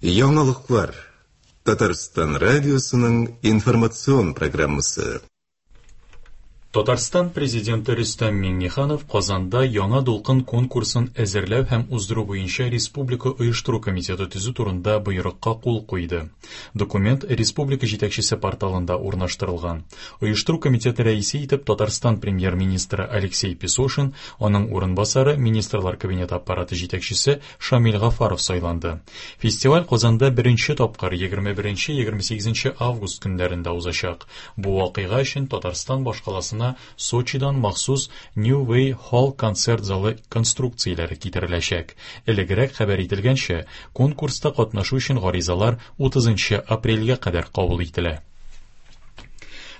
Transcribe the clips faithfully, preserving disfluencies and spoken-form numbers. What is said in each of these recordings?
Яңалыклар. Татарстан радиосының информацион программасы. Татарстан президенты Рөстәм Миңнеханов Казанда яңа дулкын конкурсын әзерләү һәм уздыру буенча Республика оештыру комитеты төзү турында боерыкка кул куйды. Документ республика җитәкчесе порталында урнаштырылган. Оештыру комитеты рәисе итеп Татарстан премьер-министры Алексей Песошин, аның урынбасары Министрлар кабинеты аппараты җитәкчесе Шамил Гафаров сайланды. Фестиваль Казанда беренче тапкыр егерме беренче егерме сигезенче август көннәрендә узачак. Бу вакыйга өчен Татарстан башкаласына Сочидан махсус New Way Hall концерт залы конструкцияләре китереләчәк. Элегрәк хәбәр ителгәнчә, конкурста катнашу өчен гаризалар утызынчы апрельгә кадәр кабул ителә.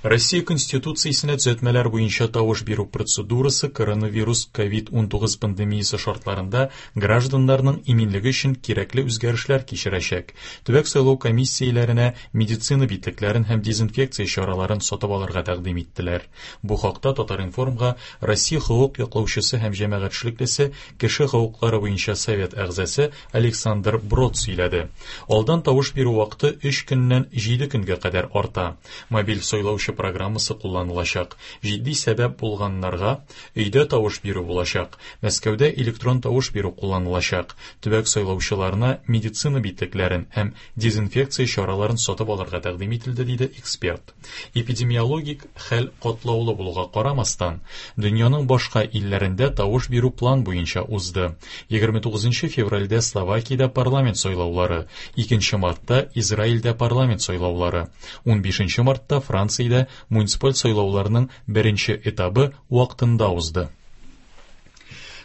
Россия Конституциясенә төзәтмәләр буенча тавыш бирү процедурасы коронавирус ковид унтугыз пандемиясе шартларында гражданнарның иминлеге өчен кирәкле үзгәрешләр кичерәчәк. Төбәк сайлау комиссияләренә медицина битлекләрен һәм дезинфекция чараларын сатып алырга тәкъдим иттеләр. Бу хакта Татар-информга Россия хокук яклаучысы һәм җәмәгать эшлеклесе, кеше хокуклары буенча совет әгъзасы Александр Брод сөйләде. Алдан тавыш бирү вакыты өч көннән җиде көнгә кадәр арта. Мобиль сайлаучы программасы кулланылачак. Җитди сәбәп булганнарга өйдә тавыш бирү булачак. Мәскәүдә электрон тавыш бирү кулланылачак. Төбәк сайлаучыларына медицина битлекләрен һәм дезинфекция чараларын сатып алырга тәкъдим ителде, диде эксперт. Эпидемиологик хәл катлаулы булуга карамастан, дөньяның башка илләрендә тавыш бирү план буенча узды. Егерме тугызынчы февральдә Словакиядә парламент сайлаулары, икенче мартта Израильдә парламент сайлаулары, унбишенче мартта Франциядә муниципаль сайлауларның беренче этабы вакытында узды.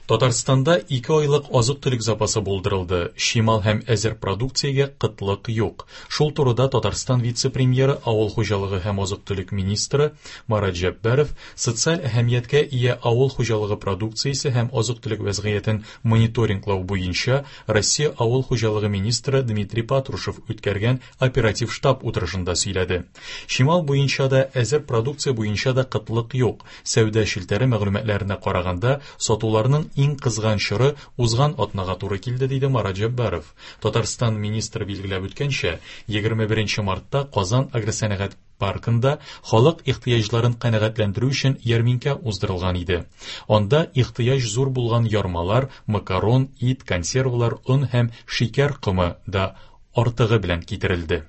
Татарстанда ике айлык азык-төлек запасы булдырылды. Чимал һәм әзер продукциягә кытлык юк. Шул турыда Татарстан вице-премьеры, авыл хуҗалыгы һәм азык-төлек министры Марат Җәббаров социаль әһәмияткә ия авыл хуҗалыгы продукциясе һәм азык-төлек вәзгыятен мониторинглау буенча Россия авыл хуҗалыгы министры Дмитрий Патрушев үткәргән оператив штаб утырышында сөйләде. Чимал буенча да, әзер продукция буенча да кытлык юк. Сәүдә челтәре мәгълүматларына караганда, сатуларның иң кызган чоры узган атнага туры килде, диде Марат Җәббаров. Татарстан министры билгеләп үткәнчә, егерме беренче мартта Казан агросәнәгать паркында халык ихтыяҗларын канәгатьләндерү өчен ярминкә уздырылган иде. Анда ихтыяҗ зур булган ярмалар, макарон, ит, консервалар, он һәм шикәр комы да артыгы белән китерелде.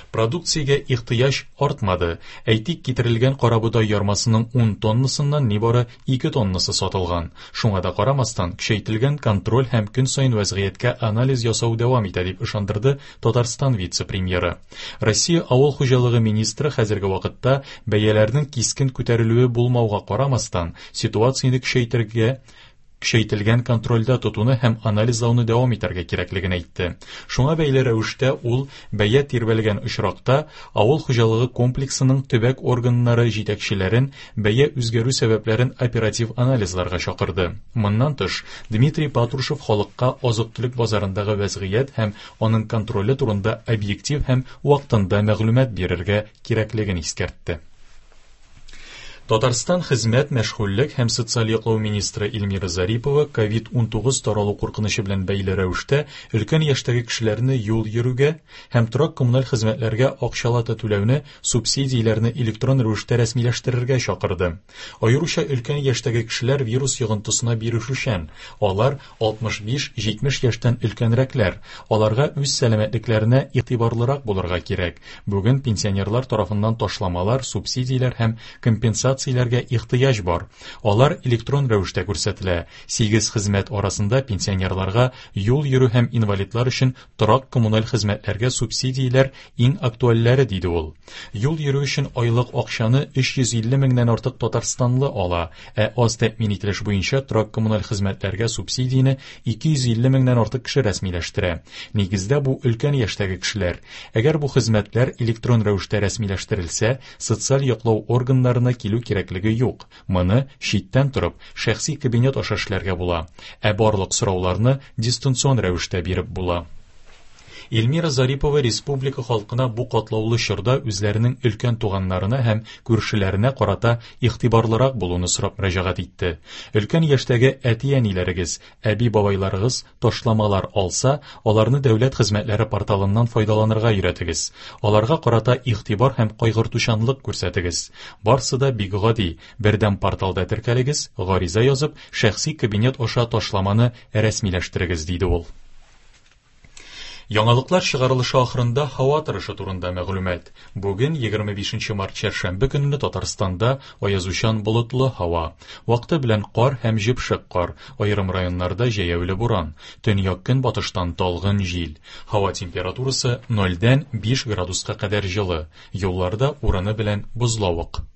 Продукциягә ихтыяҗ артмады. Әйтик, китерелгән карабодай ярмасының ун тоннасыннан нибары ике тоннасы сатылган. Шуңа да карамастан, көчәйтелгән контроль һәм көн саен вәзгыятькә анализ ясау дәвам итә, дип ышандырды Татарстан вице-премьеры. Россия авыл хуҗалыгы министры хәзерге вакытта бәяләрнең кискен күтәрелүе булмауга карамастан, ситуацияне көчәйтергә көчәйтелгән контрольдә тотуны һәм анализлауны дәвам итәргә кирәклеген әйтте. Шуңа бәйле рәвештә ул бәя тирбәлгән очракта авыл хуҗалыгы комплексының төбәк органнары җитәкчеләрен бәя үзгәрү сәбәпләрен оператив анализларга чакырды. Моннан тыш, Дмитрий Патрушев халыкка азык-төлек базарындагы вәзгыять һәм аның контроле турында объектив һәм вакытында мәгълүмат бирергә кирәклеген искәртте. Татарстан хезмәт, мәшгульлек һәм социаль яклау министры Эльмира Зарипова ковид унтугыз таралу куркынычы белән бәйле рәвештә өлкән яшьтәге кешеләрне юл йөрүгә һәм торак коммуналь хезмәтләргә акчалата түләүне, субсидияләрне электрон рәвештә рәсмиләштерергә чакырды. Аеруча өлкән яшьтәге кешеләр вирус йогынтысына бирешүчән. Алар алтмыш биш җитмеш яшьтән өлкәнрәкләр. Аларга үз сәламәтлекләренә игътибарлырак булырга кирәк. Бүген пенсионерлар тарафыннан ташламалар, субсидияләр һәм компенсацияләргә ихтыяҗ бар. Алар электрон рәвештә күрсәтелә. Сигез хезмәт арасында пенсионерларга юл йөрү һәм инвалидлар өчен торак коммуналь хезмәтләргә субсидияләр иң актуальләре, диде ул. Юл йөрү өчен айлык акчаны өч йөз илле меңнән артык татарстанлы ала, ә аз тәэмин ителеш буенча торак коммуналь хезмәтләргә субсидияне ике йөз илле меңнән артык кеше рәсмиләштерә. Нигездә бу өлкән яшьтәге кешеләр. Әгәр бу хезмәтләр электрон рәвештә рәсмиләштерелсә, социаль яклау органнарына килү кирәклеге юк. Моны читтән торып, шәхси кабинет аша эшләргә була. Ә барлык сорауларны дистанцион рәвештә биреп була. Эльмира Зарипова республика халкына бу катлаулы чорда үзләренең өлкән туганнарына һәм күршеләренә карата игътибарлырак булуны сорап мөрәҗәгать итте. Өлкән яшьтәге әти-әниләрегез, әби-бабайларыгыз ташламалар алса, аларны дәүләт хезмәтләре порталыннан файдаланырга өйрәтегез. Аларга карата игътибар һәм кайгыртучанлык күрсәтегез. Барсы да бик гади. Бердәм порталда теркәлегез, гариза язып, шәхси кабинет аша ташламаны рәсмиләштерегез, диде ул. Яңалыклар чыгарылышы ахырында һава торышы турында мәгълүмат. Бүген егерме бишенче март чәршәмбе көнне Татарстанда аязучан болытлы һава. Вакыты белән кар һәм җепшек кар, аерым районнарда җәяүле буран, төньяк-көнбатыштан талгын җил. Һава температурасы нольдән биш градуска кадәр җылы. Юлларда урыны белән бозлавык.